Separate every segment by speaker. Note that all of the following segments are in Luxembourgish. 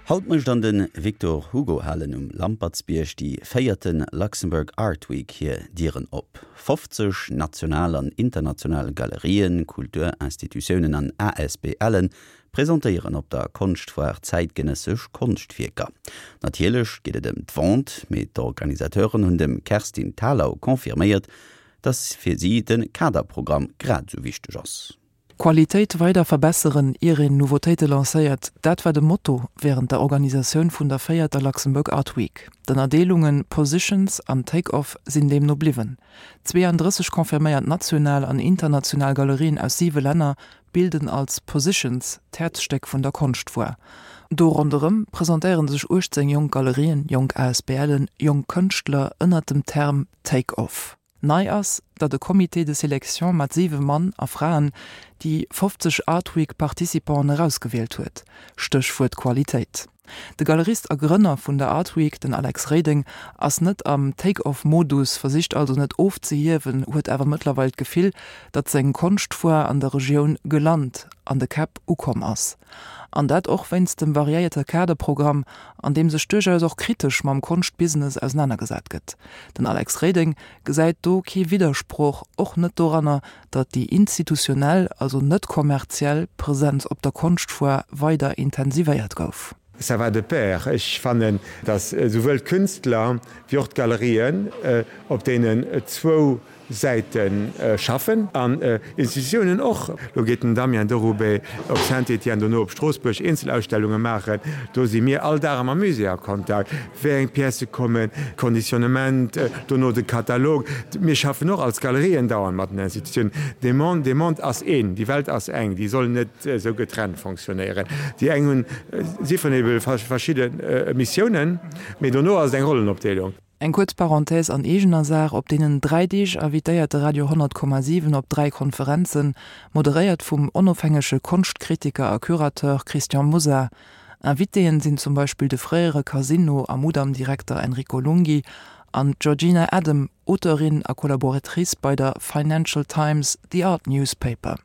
Speaker 1: Haut mécht an de Victor Hugo Halen um Lampertsbierg déi véierte Luxembourg Art Week hir Dieren op. 50 national an international Galerien, Kulturinstitutiounen an ASBLen presentéieren op der Konschtfoire zäitgenëssesch Konschtwierker. Natierlech geet et ëm d'Vente, mee d'Organisateuren hunn dem Kerstin Thalau confirméiert, dass fir si de Kaderprogramm grad esou wichteg ass.
Speaker 2: Qualitéit weider verbesseren, ier een Nouveautéite lancéiert, dat war de Motto wärend der Organisatioun vun der véierter Luxembourg Art Week. D'Ënnerdeelunge Positions an Take Off sinn deemno bliwwen. 32 confirméiert national an international Galerien aus siwe Länner bilden als Positions d'Häerzstéck vun der Konschtfoire. Do ronderëm presentéiere sech 18 jonk Galerien, jonk ASBLen, jonk Kënschtler ënnert dem Term Take Off. Nei ass, datt e Comité de sélection mat siwe Mann a Fraen déi 50 Art Week Participanten erausgewielt huet. Stéchwuert Qualitéit. De Galerist a Grënner vun der Art Week, den Alex Reding, ass net am Take-off-Modus, versicht also net ofzehiewen, huet awer mëttlerweil d'Gefill, datt seng Konschtfoire an der Regioun gelant, an de Käpp ukomm ass. An dat och wéinst dem variéierte Kaderprogramm, an deem sech duerchaus och kritesch mam Konschtbusiness ausenanergesat gëtt. Den Alex Reding gesäit do kee Widdersproch, och net doranner, datt déi institutionell, also net kommerziell, Presenz op der Konschtfoire weider intensivéiert gouf.
Speaker 3: Ça va de pair. Ech fannen, datt esouwuel d'Künstler wéi och d'Galerien op deenen zwou Säite schaffen an Institutiounen och. Lo geet den Damien Deroubet op Saint-Étienne, dono op Stroossbuerg Eenzelausstellunge maachen. Do si mir all Dag mam Musée a Kontakt, wéi eng Piècë kommen, Conditionnement, dono de Katalog. Mir schaffen och als Galerien dauernd mat den Institutiounen. De Monde, de Monde ass een, déi Welt ass eng, déi soll net esou getrennt fonctionnéieren. Déi eng hunn, si vun ebe verschidde Missiounen, mee dono ass et eng Rollenopdeelung.
Speaker 2: Eng kuerz Parenthèse an eegener Saach, Op deenen 3 Deeg invitéiert de Radio 100,7 op 3 Konferenzen, moderéiert vum onofhängege Konschtkritiker a Curateur Christian Mosar. Invitéen sinn zum Beispill de fréiere Casino a Mudam-Direkter Enrico Lunghi an d'Georgina Adam, Auteurin a Collaboratrice bei der Financial Times, The Art Newspaper.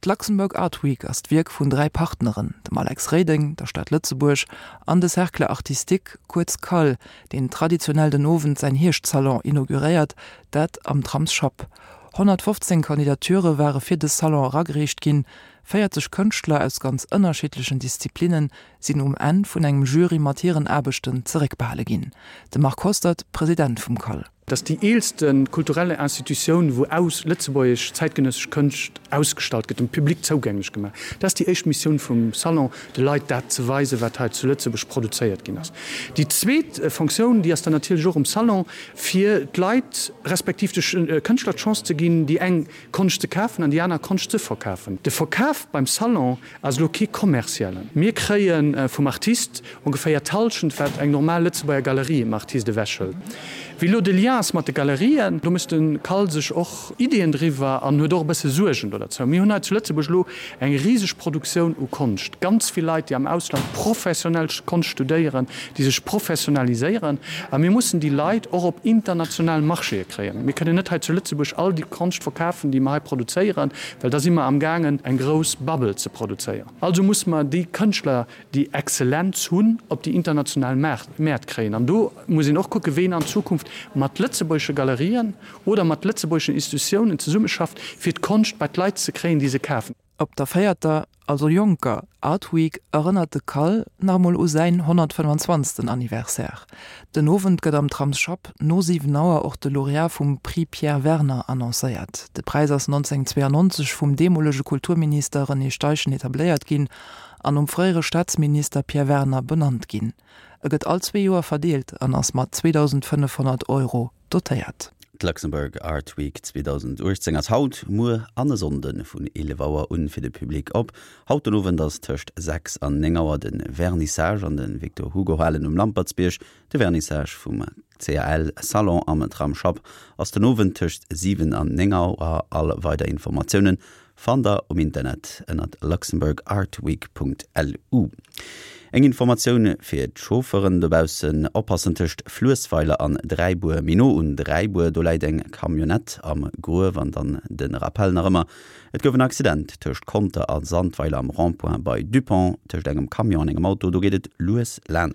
Speaker 2: D'Luxembourg Art Week ass d'Wierk vun 3 Partneren, dem Alex Reding, der Stad Lëtzebuerg an de Cercle Artistique, kuerz CAL, deen traditionell den Owend säin Hierschtsalon inauguréiert, dat am Tramsschapp. 115 Kandidature ware fir dës Salon eragereecht ginn. 40 Kënschtler aus ganz ënnerschiddlechen Disziplinnen sinn um Enn vun engem Jury mat hiren Aarbechten zeréckbehale ginn. De Marc Hostert, President vum CAL.
Speaker 4: Dat ass déi eelste kulturelle Institutioun, wou aus lëtzebuergesch zäitgenëssesch Kënscht ausgestallt gëtt, dem Public zougänglech gemaach. Dat ass déi éischt Missioun vum Salon, de Leit dat ze weisen, wat hei zu Lëtzebuerg produzéiert ginn ass. Déi zweet Fonctioun, déi ass dann natierlech och um Salon, fir d'Leit respektiv de Kënschtler d'Chance ze ginn, déi eng Konscht ze kafen an déi aner Konscht ze verkafen. De Verkaf beim Salon ass elo kee kommerziellen. Mir kréie vum Artist ongeféier d'Hallschent, wat eng normal Lëtzebuerger Galerie em Artist ewechhëlt. Wéi elo de Lien ass mat de Galerien, do mécht de Cal sech och Ideeën driwwer an huet och e bësse Suergen do derzou. Mir hunn hei zu Lëtzebuerg elo eng riseg Produktioun u Konscht, ganz vill Leit, déi am Ausland professionell Konscht studéieren, déi sech professionaliséieren. A mir mussen déi Leit och op international Marchéë kréien. Mir kënnen net hei zu Lëtzebuerg all déi Konscht verkafen, déi mer hei produzéieren, well da si mer amgaangen, eng grouss Bubble ze produzéieren. Also musse mer déi Kënschtler, déi Exzellenz hunn, op déi international Mäert kréien. An do muss een och kucken, wéi een an Zukunft mat lëtzebuergesche Galerien oder mat lëtzebuergeschen Institutiounen zesummeschafft, fir d'Konscht bei d'Leit ze kréien, déi se kafen.
Speaker 2: Op der véierter, also jonker, Art Week erënnert de Cal nach emol u säin 125. Anniversaire. Den Owend gëtt am Tramsschapp no 7 Auer och de Laureat vum Prix Pierre Werner annoncéiert. De Präis ass 1992 vum deemolege Kulturminister René Steichen etabléiert ginn an nom fréiere Staatsminister Pierre Werner benannt ginn. E gëtt all zwee Joer verdeelt an ass mat 2.500 Euro dotéiert.
Speaker 1: D'Luxembourg Art Week 2018 ass haut, muer an e Sonnde vun 11 Auer un fir de Public op. Haut den Owend ass tëscht 6 an 9 Auer de Vernissage an de Victor Hugo Halen um Lampertsbierg. De Vernissage vum CAL Salon am Tramsschapp ass den Owend tëscht 7 an 9 Auer. All weider Informatiounen Fannt der um Internet ënnert luxembourgartweek.lu. Eng Informatioun fir d'Chaufferen dobaussen, Oppassen tëscht Fluessweiler an Dräibuer, méi no un Dräibuer, do läit eng Camionnette am Gruef. An dann de Rappel nach ëmmer, Et gouf en Accident tëscht Conter a Sandweiler am Rond-point bei Dupont, tëscht engem Camion an engem Auto. Do geet et lues laanscht.